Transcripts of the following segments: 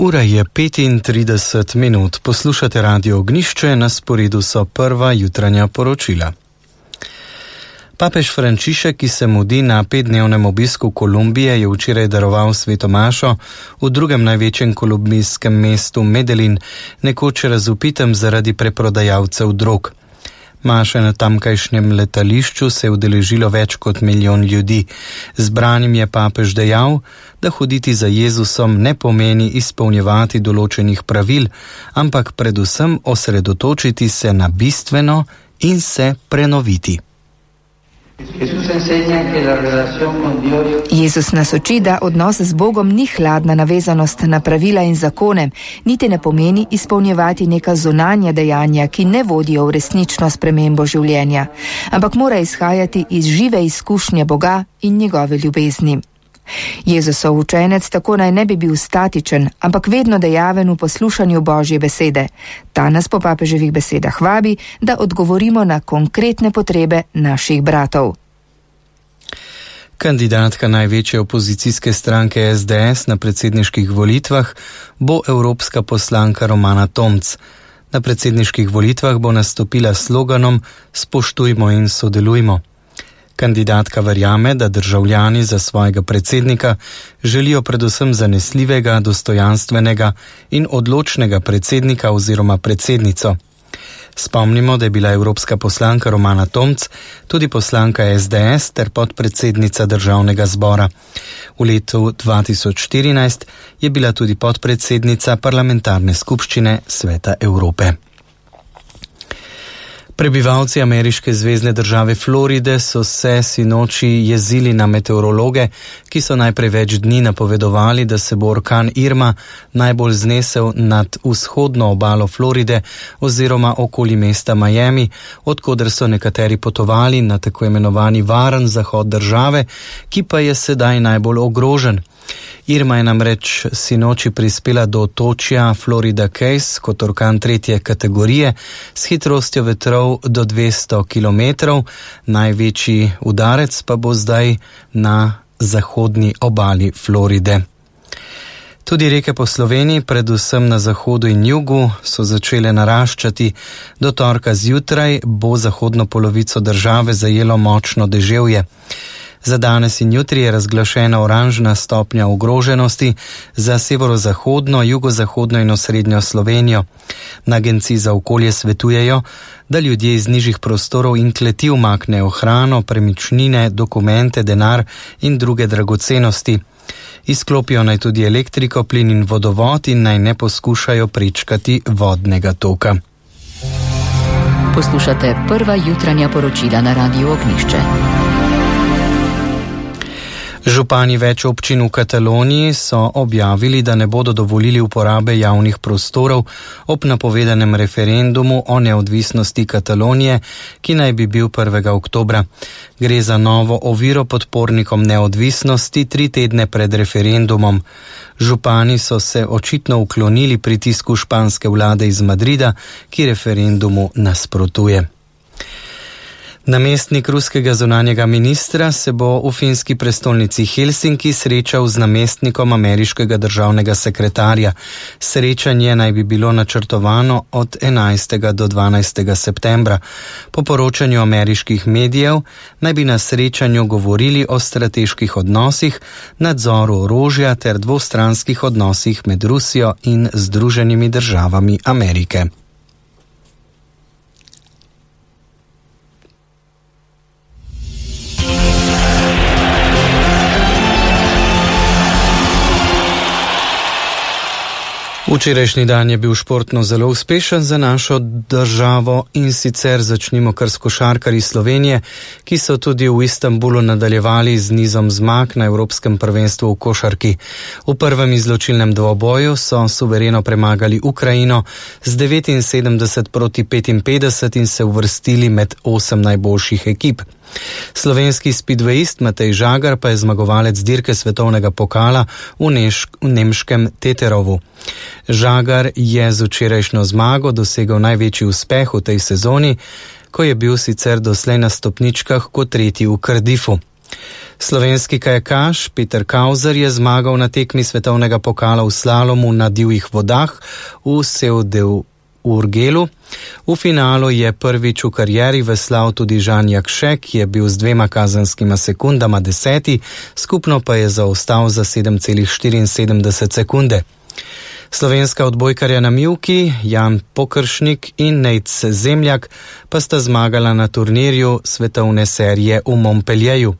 Ura je 35 minut. Poslušate Radio Ognjišče, na sporedu so prva jutranja poročila. Papež Frančišek, ki se mudi na 5-dnevnem obisku Kolumbije, je včeraj daroval sveto mašo v drugem največjem kolumbijskem mestu Medellin, nekoč razvpitem zaradi preprodajalcev drog. Maše na tamkajšnjem letališču se je udeležilo več kot 1 milijon ljudi. Zbranim je papež dejal, da hoditi za Jezusom ne pomeni izpolnjevati določenih pravil, ampak predvsem osredotočiti se na bistveno in se prenoviti. Jezus nas uči, da odnos z Bogom ni hladna navezanost na pravila in zakone, niti ne pomeni izpolnjevati neka zunanja dejanja, ki ne vodijo v resnično spremembo življenja, ampak mora izhajati iz žive izkušnje Boga in njegove ljubezni. Jezusov učenec tako naj ne bi bil statičen, ampak vedno dejaven v poslušanju Božje besede. Ta nas po papeževih besedah vabi, da odgovorimo na konkretne potrebe naših bratov. Kandidatka največje opozicijske stranke SDS na predsedniških volitvah bo evropska poslanka Romana Tomc. Na predsedniških volitvah bo nastopila s sloganom Spoštujmo in sodelujmo. Kandidatka verjame, da državljani za svojega predsednika želijo predvsem zanesljivega, dostojanstvenega in odločnega predsednika oziroma predsednico. Spomnimo, da je bila evropska poslanka Romana Tomc tudi poslanka SDS ter podpredsednica državnega zbora. V letu 2014 je bila tudi podpredsednica parlamentarne skupščine Sveta Evrope. Prebivalci ameriške zvezne države Floride so se sinoči jezili na meteorologe, ki so najprej več dni napovedovali, da se bo orkan Irma najbolj znesel nad vzhodno obalo Floride oziroma okoli mesta Miami, odkoder so nekateri potovali na tako imenovani varen zahod države, ki pa je sedaj najbolj ogrožen. Irma je namreč sinoči prispela do otočja Florida Keys kot orkan 3. kategorije s hitrostjo vetrov do 200 km, največji udarec pa bo zdaj na zahodni obali Floride. Tudi reke po Sloveniji, predvsem na zahodu in jugu, so začele naraščati. Do torka zjutraj bo zahodno polovico države zajelo močno deževje. Za danes in jutri je razglašena oranžna stopnja ogroženosti za severozahodno, jugozahodno in osrednjo Slovenijo. Na agenciji za okolje svetujejo, da ljudje iz nižjih prostorov in kleti umaknejo hrano, premičnine, dokumente, denar in druge dragocenosti. Izklopijo naj tudi elektriko, plin in vodovod in naj ne poskušajo prečkati vodnega toka. Poslušate prva jutranja poročila na Radiu Ognjišče. Župani več občin v Kataloniji so objavili, da ne bodo dovolili uporabe javnih prostorov ob napovedanem referendumu o neodvisnosti Katalonije, ki naj bi bil 1. oktobra. Gre za novo oviro podpornikom neodvisnosti 3 tedne pred referendumom. Župani so se očitno uklonili pritisku španske vlade iz Madrida, ki referendumu nasprotuje. Namestnik ruskega zunanjega ministra se bo v finski prestolnici Helsinki srečal z namestnikom ameriškega državnega sekretarja. Srečanje naj bi bilo načrtovano od 11. do 12. septembra. Po poročanju ameriških medijev naj bi na srečanju govorili o strateških odnosih, nadzoru orožja ter dvostranskih odnosih med Rusijo in Združenimi državami Amerike. Včerajšnji dan je bil športno zelo uspešen za našo državo in sicer začnimo kar s košarkarji Slovenije, ki so tudi v Istanbulu nadaljevali z nizom zmag na Evropskem prvenstvu v košarki. V prvem izločilnem dvoboju so suvereno premagali Ukrajino z 79-55 in se uvrstili med 8 najboljših ekip. Slovenski spidvejist Matej Žagar pa je zmagovalec dirke svetovnega pokala v nemškem Teterovu. Žagar je z včerajšnjo zmago dosegel največji uspeh v tej sezoni, ko je bil sicer doslej na stopničkah kot 3. v Cardiffu. Slovenski kajakaš Peter Kauzer je zmagal na tekmi svetovnega pokala v slalomu na divjih vodah v Seu-de-Urgelu. V finalu je prvič v karieri veslal tudi Žan Jakše, ki je bil z 2 kazenskima sekundama 10., skupno pa je zaostal za 7,74 sekunde. Slovenska odbojkarja na mivki Jan Pokršnik in Nejc Zemljak pa sta zmagala na turnirju svetovne serije v Montpellieru.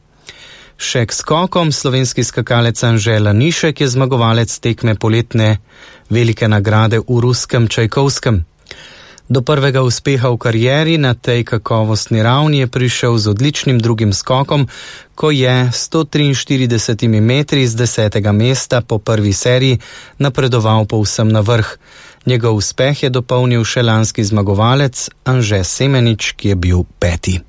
Še k skokom slovenski skakalec Anže Lanišek je zmagovalec tekme poletne velike nagrade v ruskem Čajkovskem. Do prvega uspeha v karieri na tej kakovostni ravni je prišel z odličnim drugim skokom, ko je 143 metri z 10. mesta po prvi seriji napredoval povsem na vrh. Njegov uspeh je dopolnil še lanski zmagovalec Anže Semenič, ki je bil 5.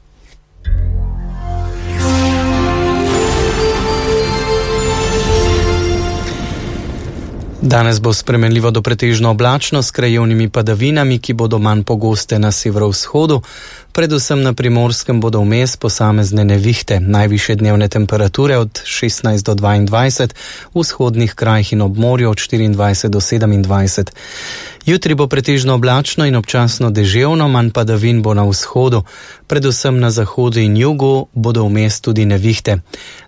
Danes bo spremenljivo do pretežno oblačno s krajevnimi padavinami, ki bodo manj pogoste na severovzhodu. Predvsem na Primorskem bodo vmes posamezne nevihte, najvišje dnevne temperature od 16 do 22, v vzhodnih krajih in ob morju od 24 do 27. Jutri bo pretežno oblačno in občasno deževno, manj padavin bo na vzhodu. Predvsem na zahodu in jugu bodo vmes tudi nevihte.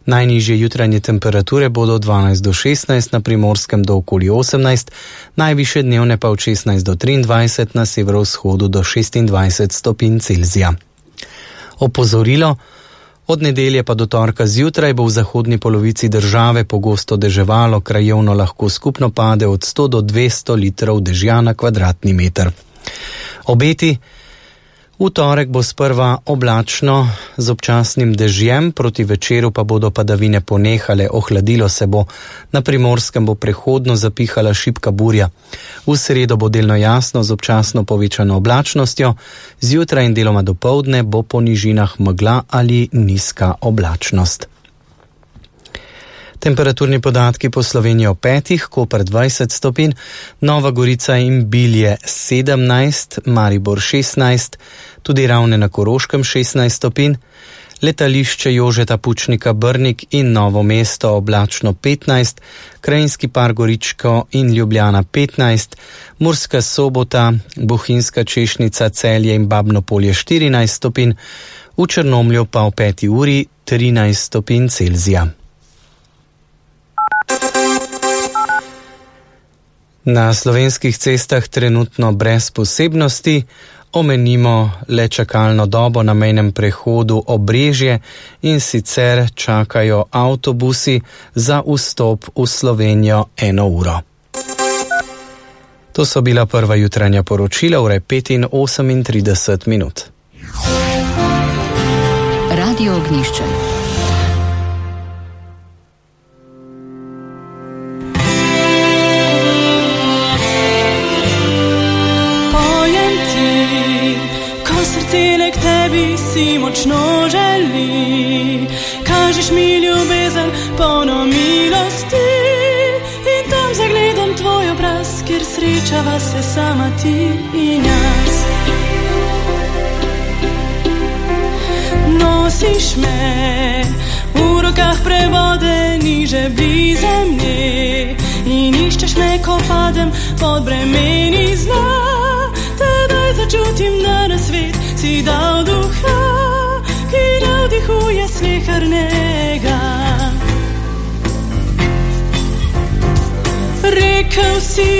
Najnižje jutranje temperature bodo od 12 do 16, na Primorskem do okoli 18, najvišje dnevne pa od 16 do 23, na severovzhodu do 26 stopinj Celzija. Opozorilo: od nedelje pa do torka zjutraj bo v zahodni polovici države pogosto deževalo, krajevno lahko skupno pade od 100 do 200 litrov dežja na kvadratni meter. Obeti: v torek bo sprva oblačno z občasnim dežjem, proti večeru pa bodo padavine ponehale, ohladilo se bo. Na Primorskem bo prehodno zapihala šibka burja. V sredo bo delno jasno z občasno povečano oblačnostjo, zjutraj in deloma dopoldne bo po nižinah megla ali nizka oblačnost. Temperaturni podatki po Sloveniji o 5, Koper 20 stopinj, Nova Gorica in Bilje 17, Maribor 16, tudi Ravne na Koroškem 16 stopinj, letališče Jožeta Pučnika Brnik in Novo mesto oblačno 15, Krajinski par Goričko in Ljubljana 15, Murska Sobota, Bohinjska Češnica, Celje in Babno Polje 14 stopinj, v Črnomlju pa o 5 uri 13 stopinj Celzija. Na slovenskih cestah trenutno brez posebnosti, omenimo le čakalno dobo na mejnem prehodu Obrežje in sicer čakajo avtobusi za vstop v Slovenijo 1 uro. To so bila prva jutranja poročila, ure 5:38 minut. Radio Ognjišče. K tebi si močno želi, kažeš mi ljubezen polno milosti in tam zagledam tvoj obraz, kjer srečava se sama ti in jaz. Nosiš me v rokah prevodeni žebli zemlje in iščeš me, ko padem pod bremeni zla. Tedaj začutim, da na svet si dal duha, ki navdihuje slehernega. Rekel si